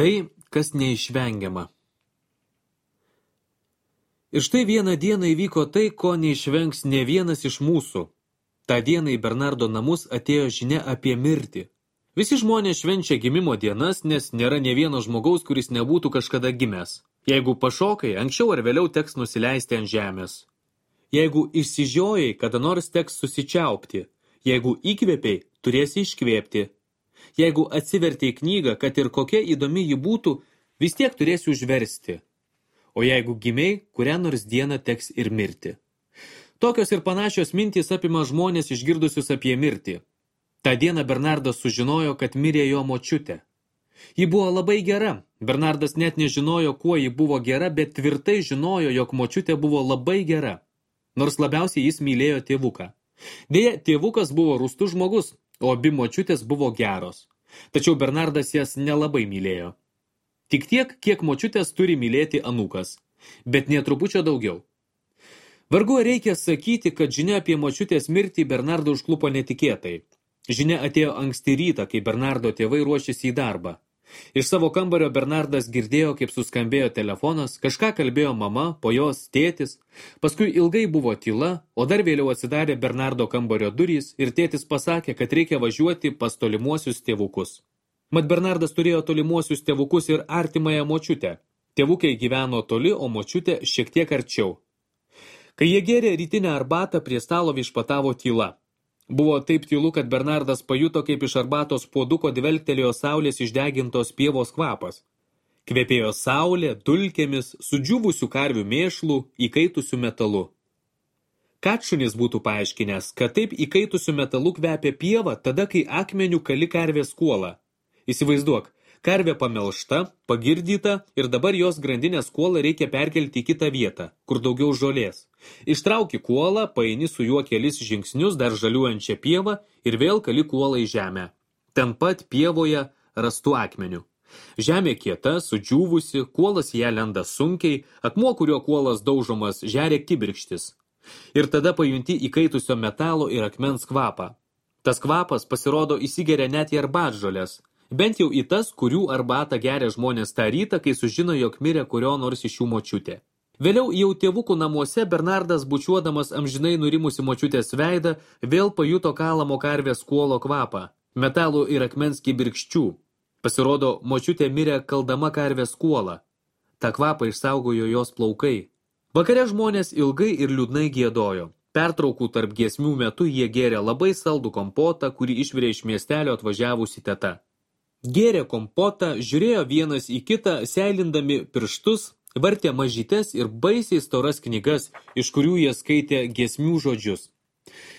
Tai, kas neišvengiama. Ir štai vieną dieną įvyko tai, ko neišvengs ne vienas iš mūsų. Ta diena į Bernardo namus atėjo žinia apie mirtį. Visi žmonės švenčia gimimo dienas, nes nėra ne vieno žmogaus, kuris nebūtų kažkada gimęs. Jeigu pašokai, anksčiau ar vėliau teks nusileisti ant žemės. Jeigu išsižiojai, kada nors teks susičiaupti. Jeigu įkvėpiai, turėsi iškvėpti. Jeigu atsivertei knygą, kad ir kokia įdomi ji būtų, vis tiek turėsi užversti. O jeigu gimiai, kurią nors dieną teks ir mirti. Tokios ir panašios mintys apima žmonės išgirdusius apie mirtį. Ta dieną Bernardas sužinojo, kad mirė jo močiutė. Ji buvo labai gera. Bernardas net nežinojo, kuo ji buvo gera, bet tvirtai žinojo, jog močiutė buvo labai gera. Nors labiausiai jis mylėjo tėvuką. Deja, tėvukas buvo rūstus žmogus, o abi močiutės buvo geros. Tačiau Bernardas jas nelabai mylėjo. Tik tiek, kiek močiutės turi mylėti anūkas, bet nė trupučio daugiau. Vargu reikia sakyti, kad žinia apie močiutės mirtį Bernardą užklupo netikėtai. Žinia atėjo anksti rytą, kai Bernardo tėvai ruošėsi į darbą. Iš savo kambario Bernardas girdėjo, kaip suskambėjo telefonas, kažką kalbėjo mama, po jos tėtis, paskui ilgai buvo tyla, o dar vėliau atsidarė Bernardo kambario durys ir tėtis pasakė, kad reikia važiuoti pas tolimuosius tėvukus. Mat Bernardas turėjo tolimuosius tėvukus ir artimąją močiutę. Tėvukai gyveno toli, o močiutė šiek tiek arčiau. Kai jie gėrė rytinę arbatą, prie stalo viešpatavo tyla. Buvo taip tylu, kad Bernardas pajuto, kaip iš arbatos puoduko dvelktelėjo saulės išdegintos pievos kvapas. Kvepėjo saulė, dulkėmis, sudžiūvusių karvių mėšlų, įkaitusių metalu. Katšunis būtų paaiškinęs, kad taip įkaitusių metalų kvepia pieva tada, kai akmeniu kali karvės kuolą. Įsivaizduok, karvė pamelšta, pagirdyta ir dabar jos grandinės kuolą reikia perkelti į kitą vietą, kur daugiau žolės. Ištrauki kuolą, paeini su juo kelis žingsnius dar žaliuojančią pievą ir vėl kali kuolą į žemę. Ten pat pievoje rastų akmenių. Žemė kieta, sudžiūvusi, kuolas ją lenda sunkiai, akmuo, kurio kuolas daužomas, žeria kibirkštis. Ir tada pajunti įkaitusio metalo ir akmens kvapą. Tas kvapas pasirodo įsigeria net į arbatžolės. Bent jau į tas, kurių arbatą geria žmonės tą rytą, kai sužino, jog mirė kurio nors iš jų močiutė. Vėliau jau tėvukų namuose Bernardas, bučiuodamas amžinai nurimusi močiutės veidą, vėl pajuto kalamo karvės kuolo kvapą, metalų ir akmens kibirkščių. Pasirodo, močiutė mirė kaldama karvės kuolą. Ta kvapą išsaugojo jos plaukai. Vakare žmonės ilgai ir liūdnai giedojo. Pertraukų tarp giesmių metu jie gėrė labai saldų kompotą, kurį išvirė iš miestelio atvažiavusi teta. Gėrė kompotą, žiūrėjo vienas į kitą, seilindami pirštus, vartė mažytes ir baisiai storas knygas, iš kurių jie skaitė giesmių žodžius.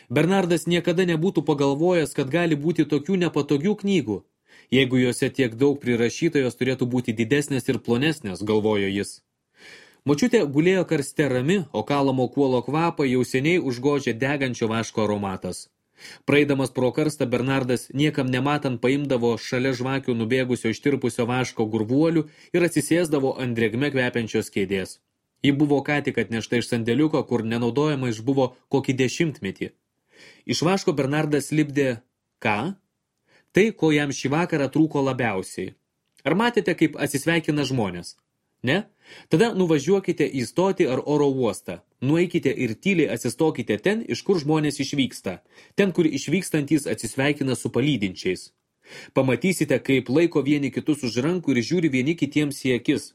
Bernardas niekada nebūtų pagalvojęs, kad gali būti tokių nepatogių knygų. Jeigu juose tiek daug prirašyta, jos turėtų būti didesnės ir plonesnės, galvojo jis. Močiutė gulėjo karste rami, o kalamo kuolo kvapą jau seniai užgožė degančio vaško aromatas. Praeidamas pro karstą Bernardas niekam nematant paimdavo šalia žvakių nubėgusio ištirpusio vaško gurvuolių ir atsisėsdavo ant drėgme kvepiančios kėdės. Ji buvo ką tik atnešta iš sandėliuko, kur nenaudojama išbuvo kokį 10 metį. Iš vaško Bernardas lipdė ką? Tai, ko jam šį vakarą trūko labiausiai. Ar matėte, kaip atsisveikina žmonės? Ne? Tada nuvažiuokite į stotį ar oro uostą. Nueikite ir tyliai atsistokite ten, iš kur žmonės išvyksta. Ten, kur išvykstantys atsisveikina su palydinčiais. Pamatysite, kaip laiko vieni kitus už rankų ir žiūri vieni kitiems į akis.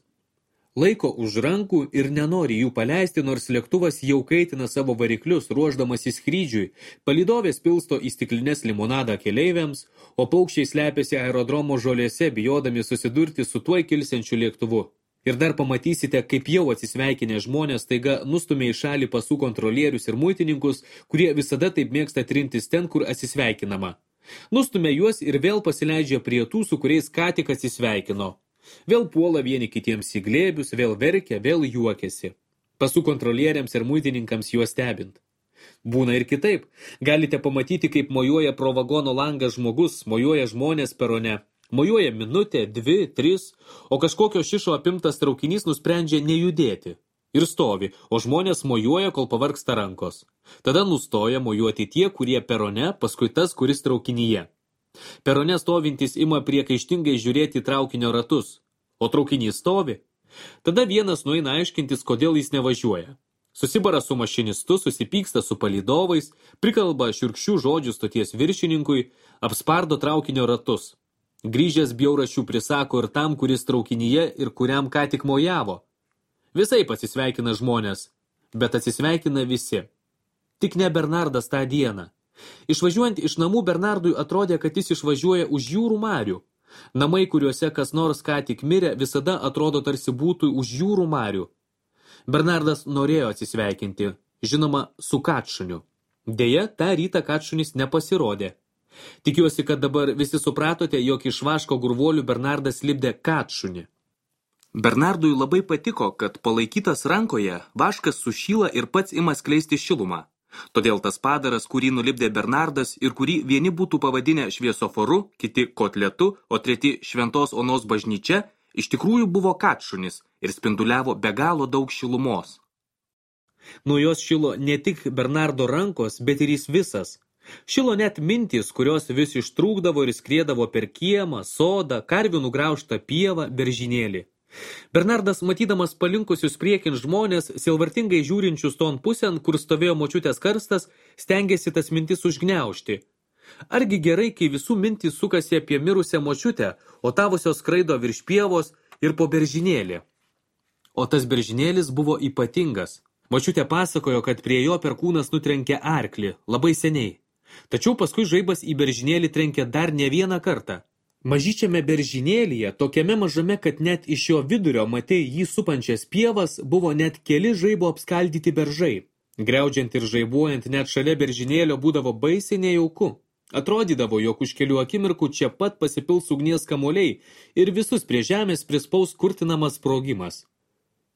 Laiko už rankų ir nenori jų paleisti, nors lėktuvas jau kaitina savo variklius, ruošdamas į skrydžiui. Palydovės pilsto į stiklines limonadą keleiviams, o paukščiai slepiasi aerodromo žolėse, bijodami susidurti su tuoj kilsiančiu lėktuvu. Ir dar pamatysite, kaip jau atsisveikinę žmonės taiga nustumė į šalį pasų kontrolierius ir muitininkus, kurie visada taip mėgsta trintis ten, kur atsisveikinama. Nustumė juos ir vėl pasileidžia prie tų, su kuriais ką tik atsisveikino. Vėl puola vieni kitiems į glėbius, vėl verkia, vėl juokiasi. Pasų kontrolieriams ir muitininkams juos stebint. Būna ir kitaip. Galite pamatyti, kaip mojuoja pro vagono langą žmogus, mojuoja žmonės perone. Mojuoja minutę, 2, 3, o kažkokio šišo apimtas traukinys nusprendžia nejudėti. Ir stovi, o žmonės mojuoja, kol pavargsta rankos. Tada nustoja mojuoti tie, kurie perone, paskui tas, kuris traukinyje. Perone stovintys ima priekaištingai žiūrėti traukinio ratus. o traukinys stovi. Tada vienas nueina aiškintis, kodėl jis nevažiuoja. Susibara su mašinistu, susipyksta su palydovais, prikalba šiurkščių žodžių stoties viršininkui, apspardo traukinio ratus. Grįžęs bjauraščių prisako ir tam, kuris traukinyje ir kuriam ką tik mojavo. Visai pasisveikina žmonės, bet atsisveikina visi. Tik ne Bernardas tą dieną. Išvažiuojant iš namų Bernardui atrodė, kad jis išvažiuoja už jūrų marių. Namai, kuriuose kas nors ką tik mirė, visada atrodo tarsi būtų už jūrų marių. Bernardas norėjo atsisveikinti, žinoma, su Katšuniu. Deja, tą rytą Katšunis nepasirodė. Tikiuosi, kad dabar visi supratote, jog iš vaško gurvuolių Bernardas lipdė Katšunį. Bernardui labai patiko, kad palaikytas rankoje vaškas sušyla ir pats ima skleisti šilumą. Todėl tas padaras, kurį nulipdė Bernardas ir kurį vieni būtų pavadinę šviesoforu, kiti kotletu, o treti Šventos Onos bažnyčia, iš tikrųjų buvo Katšunis ir spinduliavo be galo daug šilumos. Nuo jos šilo ne tik Bernardo rankos, bet ir jis visas. Šilo net mintys, kurios vis ištrūkdavo ir skriedavo per kiemą, sodą, karvių nugraužtą pievą, beržynėlį. Bernardas, matydamas palinkusius priekin žmonės, sielvartingai žiūrinčius ton pusėn, kur stovėjo močiutės karstas, stengėsi tas mintis užgniaužti. Argi gerai, kai visų mintys sukasi apie mirusią močiutę, o tavusios skraido virš pievos ir po beržynėlį. O tas beržynėlis buvo ypatingas. Močiutė pasakojo, kad prie jo perkūnas nutrenkė arklį, labai seniai. Tačiau paskui žaibas į beržynėlį trenkė dar ne vieną kartą. Mažyčiame beržynėlyje, tokiame mažame, kad net iš jo vidurio matei jį supančias pievas, buvo net keli žaibo apskaldyti beržai. Griaudžiant ir žaibuojant net šalia beržynėlio būdavo baisiai nejauku. Atrodydavo, jog už kelių akimirkų čia pat pasipils ugnies kamuoliai ir visus prie žemės prispaus kurtinamas sprogimas.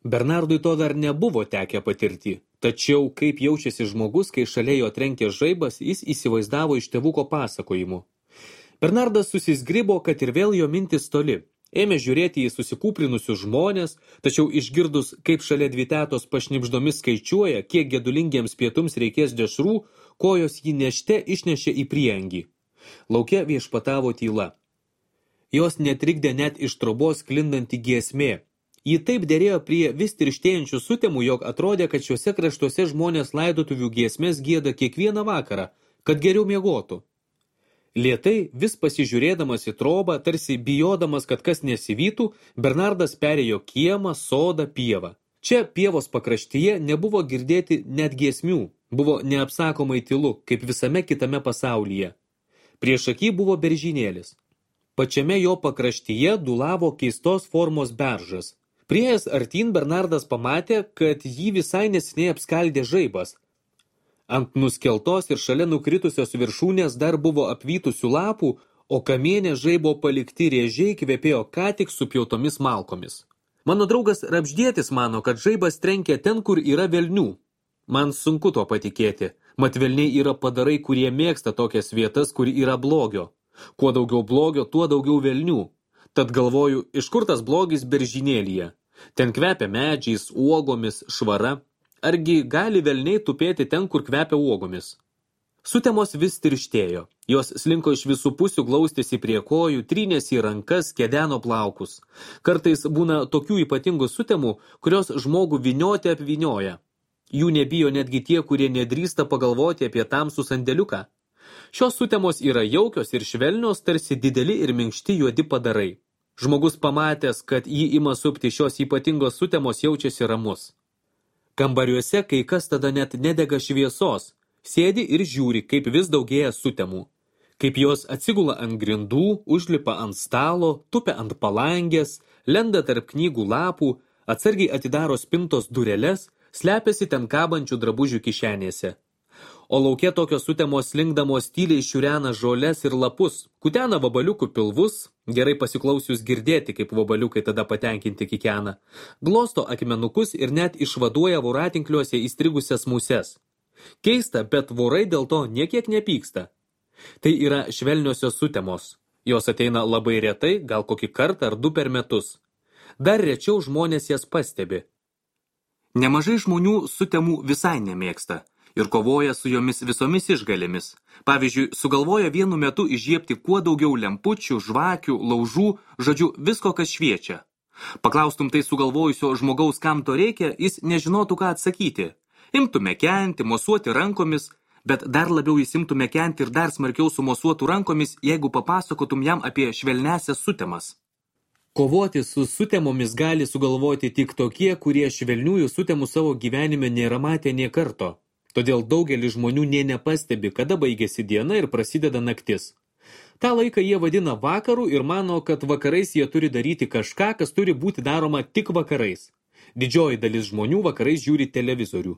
Bernardui to dar nebuvo tekę patirti, tačiau kaip jaučiasi žmogus, kai šalia jo trenkė žaibas, jis įsivaizdavo iš tėvuko pasakojimų. Bernardas susizgribo, kad ir vėl jo mintis toli. Ėmė žiūrėti į susikūprinusius žmonės, tačiau išgirdus, kaip šalia dvi tetos pašnibždomis skaičiuoja, kiek gedulingiems pietums reikės dešrų, kojos jį nešte išnešė į priengį. Lauke viešpatavo tyla. Jos netrikdė net iš trobos sklindanti giesmė. Ji taip derėjo prie vis tirštėjančių sutemų, jog atrodė, kad šiuose kraštuose žmonės laidotuvių giesmės gieda kiekvieną vakarą, kad geriau miegotų. Lėtai, vis pasižiūrėdamas į trobą, tarsi bijodamas, kad kas nesivytų, Bernardas perėjo kiemą, sodą, pievą. Čia pievos pakraštyje nebuvo girdėti net giesmių, buvo neapsakomai tylu, kaip visame kitame pasaulyje. Priešaky buvo beržynėlis. Pačiame jo pakraštyje dulavo keistos formos beržas. Priėjęs artyn Bernardas pamatė, kad jį visai neseniai apskaldė žaibas. Ant nuskeltos ir šalia nukritusios viršūnės dar buvo apvytusių lapų, o kamienė žaibo palikti rėžiai kvepėjo ką tik supjautomis malkomis. Mano draugas Rapždietis mano, kad žaibas trenkia ten, kur yra velnių. Man sunku to patikėti, mat velniai yra padarai, kurie mėgsta tokias vietas, kur yra blogio. Kuo daugiau blogio, tuo daugiau velnių. Tad galvoju, iš kur tas blogis beržynėlyje? Ten kvepia medžiais, uogomis, švara. Argi gali velniai tupėti ten, kur kvepia uogomis? Sutemos vis tirštėjo. Jos slinko iš visų pusių, glaustėsi prie kojų, trynėsi į rankas, kedeno plaukus. Kartais būna tokių ypatingų sutemų, kurios žmogų vynioti apvynioja. Jų nebijo netgi tie, kurie nedrįsta pagalvoti apie tamsų sandėliuką. Šios sutemos yra jaukios ir švelnios, tarsi dideli ir minkšti juodi padarai. Žmogus pamatęs, kad jį ima supti šios ypatingos sutemos, jaučiasi ramus. Kambariuose kai kas tada net nedega šviesos, sėdi ir žiūri, kaip vis daugėja sutemų. Kaip jos atsigula ant grindų, užlipa ant stalo, tupia ant palangės, lenda tarp knygų lapų, atsargiai atidaro spintos dureles, slepiasi ten kabančių drabužių kišenėse. O lauke tokios sutemos slinkdamos tyliai šiurena žoles ir lapus, kutena vabaliukų pilvus, gerai pasiklausius girdėti, kaip vabaliukai tada patenkinti kikena, glosto akmenukus ir net išvaduoja voratinkliuose įstrigusias muses. Keista, bet vorai dėl to niekiek nepyksta. Tai yra švelniosios sutemos. Jos ateina labai retai, gal kokį kartą ar du per metus. Dar rečiau žmonės jas pastebi. Nemažai žmonių sutemų visai nemėgsta ir kovoja su jomis visomis išgalėmis. Pavyzdžiui, sugalvoja vienu metu įžiebti kuo daugiau lempučių, žvakių, laužų, žodžiu, visko, kas šviečia. Paklaustum tai sugalvojusio žmogaus, kam to reikia, jis nežinotų, ką atsakyti. Imtų mekenti, mosuoti rankomis, bet dar labiau jis imtų mekenti ir dar smarkiau sumosuotų rankomis, jeigu papasakotum jam apie švelnesias sutemas. Kovoti su sutemomis gali sugalvoti tik tokie, kurie švelniųjų sutemų savo gyvenime nėra matę nė karto. Todėl daugelis žmonių nė nepastebi, kada baigėsi diena ir prasideda naktis. Ta laiką jie vadina vakaru ir mano, kad vakarais jie turi daryti kažką, kas turi būti daroma tik vakarais. Didžioji dalis žmonių vakarais žiūri televizorių.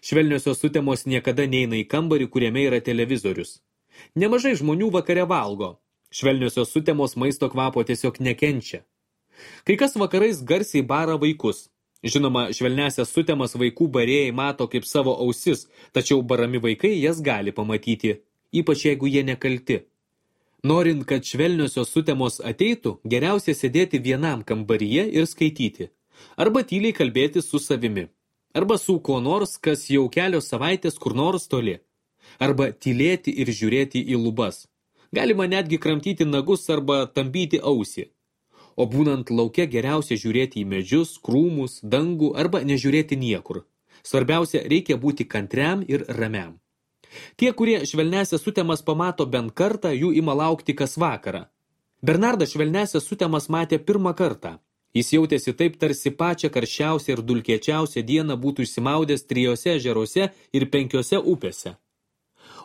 Švelniosios sutemos niekada neina į kambarį, kuriame yra televizorius. Nemažai žmonių vakare valgo. Švelniosios sutemos maisto kvapo tiesiog nekenčia. Kai kas vakarais garsiai bara vaikus. Žinoma, švelnesias sutemas vaikų barėjai mato kaip savo ausis, tačiau barami vaikai jas gali pamatyti, ypač jeigu jie nekalti. Norint, kad švelniosios sutemos ateitų, geriausia sėdėti vienam kambaryje ir skaityti. Arba tyliai kalbėti su savimi. Arba su kuo nors, kas jau kelios savaitės kur nors toli. Arba tylėti ir žiūrėti į lubas. Galima netgi kramtyti nagus arba tampyti ausį. O būnant lauke geriausia žiūrėti į medžius, krūmus, dangų arba nežiūrėti niekur. Svarbiausia, reikia būti kantriam ir ramiam. Tie, kurie švelnesias sutemas pamato bent kartą, jų ima laukti kas vakarą. Bernardas švelnesias sutemas matė pirmą kartą. Jis jautėsi taip, tarsi pačią karščiausią ir dulkėčiausią dieną būtų išsimaudęs 3 ežeruose ir 5 upėse.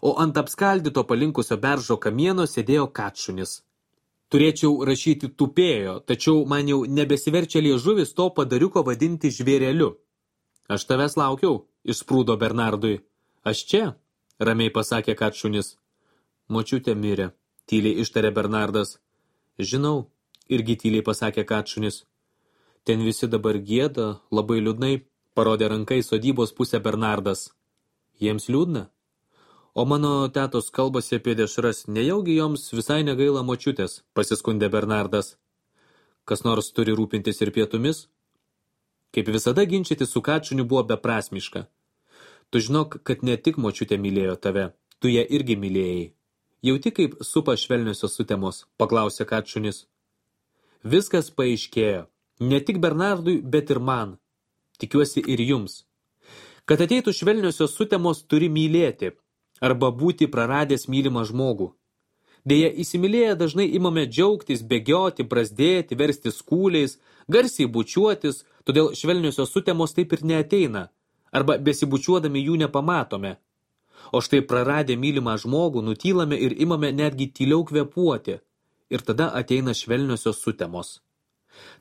O ant apskaldyto palinkusio beržo kamieno sėdėjo katšunis. Turėčiau rašyti tupėjo, tačiau man jau nebesiverčia liežuvis to padariuko vadinti žvėreliu. Aš tavęs laukiau, išsprūdo Bernardui. Aš čia, ramiai pasakė katšunis. Močiutė mirė, tyliai ištarė Bernardas. Žinau, irgi tyliai pasakė katšunis. Ten visi dabar gieda, labai liūdnai, parodė rankai sodybos pusę Bernardas. Jiems liūdna? O mano tetos kalbasi apie dešras, nejaugi joms visai negaila močiutės, pasiskundė Bernardas. Kas nors turi rūpintis ir pietumis? Kaip visada ginčyti su katšuniu buvo beprasmiška. Tu žinok, kad ne tik močiutė mylėjo tave, tu ją irgi mylėjai. Jauti kaip supa švelniosios sutemos, paklausė katšunis. Viskas paaiškėjo, ne tik Bernardui, bet ir man. Tikiuosi ir jums. Kad ateitų švelniosios sutemos, turi mylėti. Arba būti praradęs mylimą žmogų. Deja, įsimylėję dažnai imame džiaugtis, bėgioti, brazdėti, versti skūliais, garsiai bučiuotis, todėl švelniosios sutemos taip ir neateina, arba besibučiuodami jų nepamatome. O štai praradę mylimą žmogų nutylame ir imame netgi tyliau kvėpuoti, ir tada ateina švelniosios sutemos.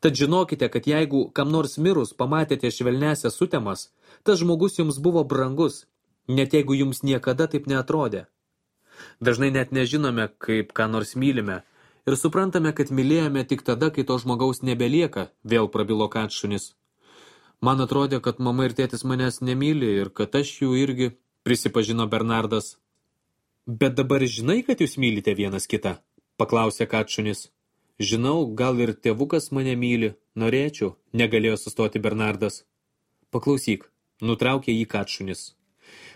Tad žinokite, kad jeigu kam nors mirus pamatėte švelnesias sutemas, tas žmogus jums buvo brangus, net jeigu jums niekada taip neatrodė. Dažnai net nežinome, kaip ką nors mylime, ir suprantame, kad mylėjome tik tada, kai to žmogaus nebelieka, vėl prabilo katšunis. Man atrodė, kad mama ir tėtis manęs nemyli ir kad aš jų irgi, prisipažino Bernardas. Bet dabar žinai, kad jūs mylite vienas kitą, paklausė katšunis. Žinau, gal ir tėvukas mane myli, norėčiau, negalėjo sustoti Bernardas. Paklausyk, nutraukė jį katšunis.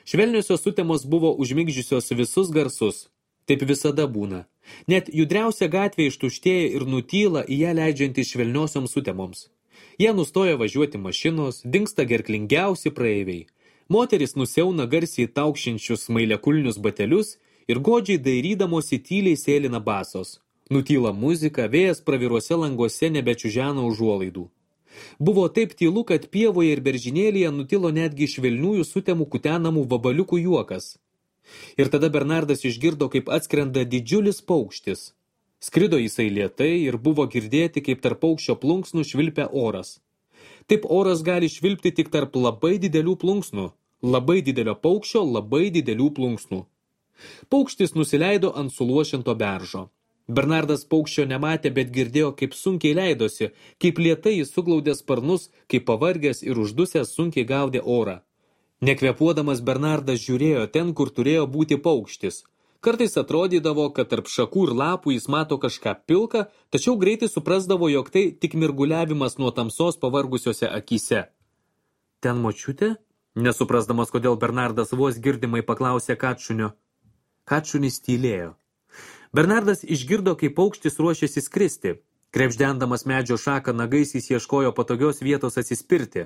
Švelniosios sutemos buvo užmigdžiusios visus garsus. Taip visada būna. Net judriausia gatvė ištuštėja ir nutyla į ją leidžiantį švelniosioms sutemoms. Jie nustoja važiuoti mašinos, dingsta gerklingiausi praeiviai. Moteris nusiauna garsiai taukšinčius smailekulnius batelius ir godžiai dairydamosi tyliai sėlina basos. Nutyla muzika, vėjas praviruose languose nebečiužena užuolaidų. Buvo taip tylu, kad pievoje ir beržinėlyje nutilo netgi švelniųjų sutemų kutenamų vabaliukų juokas. Ir tada Bernardas išgirdo, kaip atskrenda didžiulis paukštis. Skrido jisai lėtai ir buvo girdėti, kaip tarp paukščio plunksnų švilpia oras. Taip oras gali švilpti tik tarp labai didelių plunksnų, labai didelio paukščio, labai didelių plunksnų. Paukštis nusileido ant suluošinto beržo. Bernardas paukščio nematė, bet girdėjo, kaip sunkiai leidosi, kaip lėtai jis suglaudė sparnus, kaip pavargęs ir uždusęs sunkiai gaudė orą. Nekvėpuodamas Bernardas žiūrėjo ten, kur turėjo būti paukštis. Kartais atrodydavo, kad tarp šakų ir lapų jis mato kažką pilką, tačiau greitai suprasdavo, jog tai tik mirguliavimas nuo tamsos pavargusiose akyse. Ten močiutė? Nesuprasdamas, kodėl Bernardas vos girdimai paklausė katšunio. Katšunis tylėjo. Bernardas išgirdo, kaip paukštis ruošėsi skristi. Krebždendamas medžio šaką nagais jis ieškojo patogios vietos atsispirti.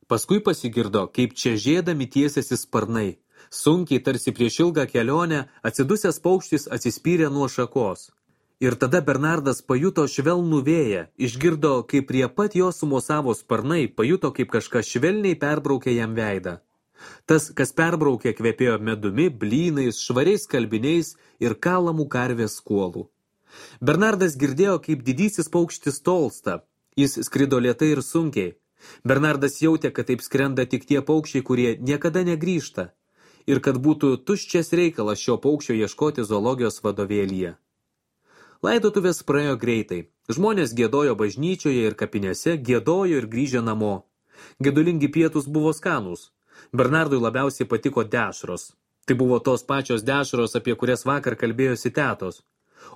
Paskui pasigirdo, kaip čežėdami tiesiasi sparnai. Sunkiai, tarsi prieš ilgą kelionę, atsidusęs paukštis atsispyrė nuo šakos. Ir tada Bernardas pajuto švelnų vėją, išgirdo, kaip prie pat jo sumosavo sparnai, pajuto, kaip kažkas švelniai perbraukė jam veidą. Tas, kas perbraukė, kvepėjo medumi, blynais, švariais skalbiniais ir kalamų karvės kuolų. Bernardas girdėjo, kaip didysis paukštis tolsta. Jis skrido lėtai ir sunkiai. Bernardas jautė, kad taip skrenda tik tie paukščiai, kurie niekada negrįžta. Ir kad būtų tuščias reikalas šio paukščio ieškoti zoologijos vadovėlyje. Laidotuvės praėjo greitai. Žmonės giedojo bažnyčioje ir kapinėse, giedojo ir grįžę namo. Gedulingi pietūs buvo skanūs. Bernardui labiausiai patiko dešros. Tai buvo tos pačios dešros, apie kurias vakar kalbėjosi tetos.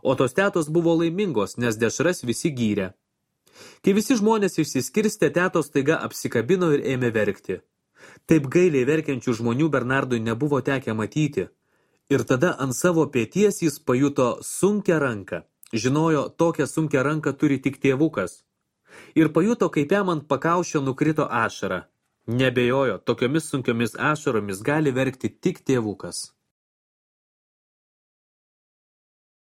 O tos tetos buvo laimingos, nes dešras visi gyrė. Kai visi žmonės išsiskirstė, tetos staiga apsikabino ir ėmė verkti. Taip gailiai verkiančių žmonių Bernardui nebuvo tekę matyti. Ir tada ant savo peties jis pajuto sunkią ranką. Žinojo, tokią sunkią ranką turi tik tėvukas. Ir pajuto, kaip jam ant pakaušio nukrito ašara. Nebejojo, tokiomis sunkiomis ašaromis gali verkti tik tėvukas.